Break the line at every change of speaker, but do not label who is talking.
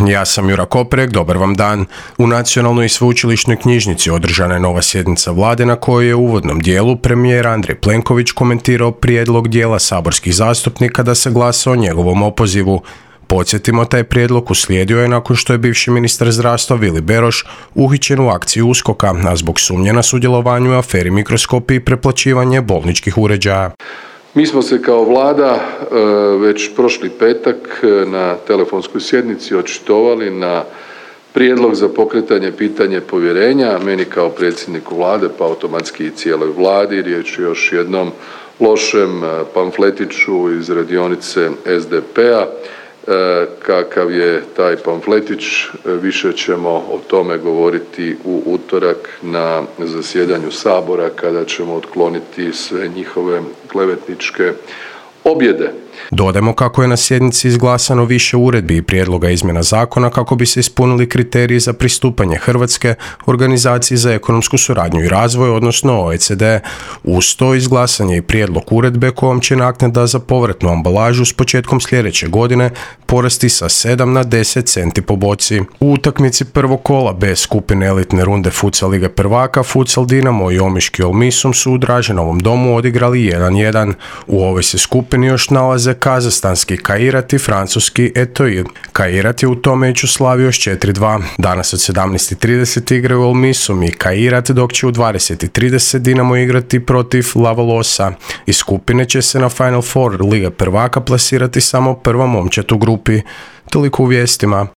ja sam Jura Koprek, dobar vam dan. U Nacionalnoj i sveučilišnoj knjižnici održana je nova sjednica vlade na kojoj je u uvodnom dijelu premijer Andrej Plenković komentirao prijedlog dijela saborskih zastupnika da se glasa o njegovom opozivu. Podsjetimo, taj prijedlog uslijedio je nakon što je bivši ministar zdravstva Vili Beroš uhićen u akciji USKOK-a, a zbog sumnje na sudjelovanju u aferi Mikroskopi i preplaćivanje bolničkih uređaja.
Mi smo se kao vlada već prošli petak na telefonskoj sjednici očitovali na prijedlog za pokretanje pitanja povjerenja meni kao predsjedniku vlade, pa automatski i cijeloj vladi. Riječ je još jednom lošem pamfletiću iz radionice SDP-a. Kakav je taj pamfletić, više ćemo o tome govoriti u utorak na zasjedanju Sabora kada ćemo otkloniti sve njihove klevetničke objede.
Dodajmo kako je na sjednici izglasano više uredbi i prijedloga izmjena zakona kako bi se ispunili kriteriji za pristupanje Hrvatske Organizaciji za ekonomsku suradnju i razvoj, odnosno OECD. Uz to izglasan je i prijedlog uredbe kojom će naknada za povratnu ambalažu s početkom sljedeće godine porasti sa 7 na 10 centi po boci. U utakmici prvog kola B skupine elitne runde Futsal Lige prvaka Futsal Dinamo i Omiški Olmisum su u Draženovom domu odigrali 1:1. U ovoj se skupini još nalaze kazahstanski Kairat i francuski Etoile. Kairat je u tom meču slavio s 4:2. Danas od 17:30 igraju Olmisum i Kairat, dok će u 20:30 Dinamo igrati protiv Lavalosa. Iz skupine će se na Final Four Lige prvaka plasirati samo prva momčad u grupi. Toliko u vijestima.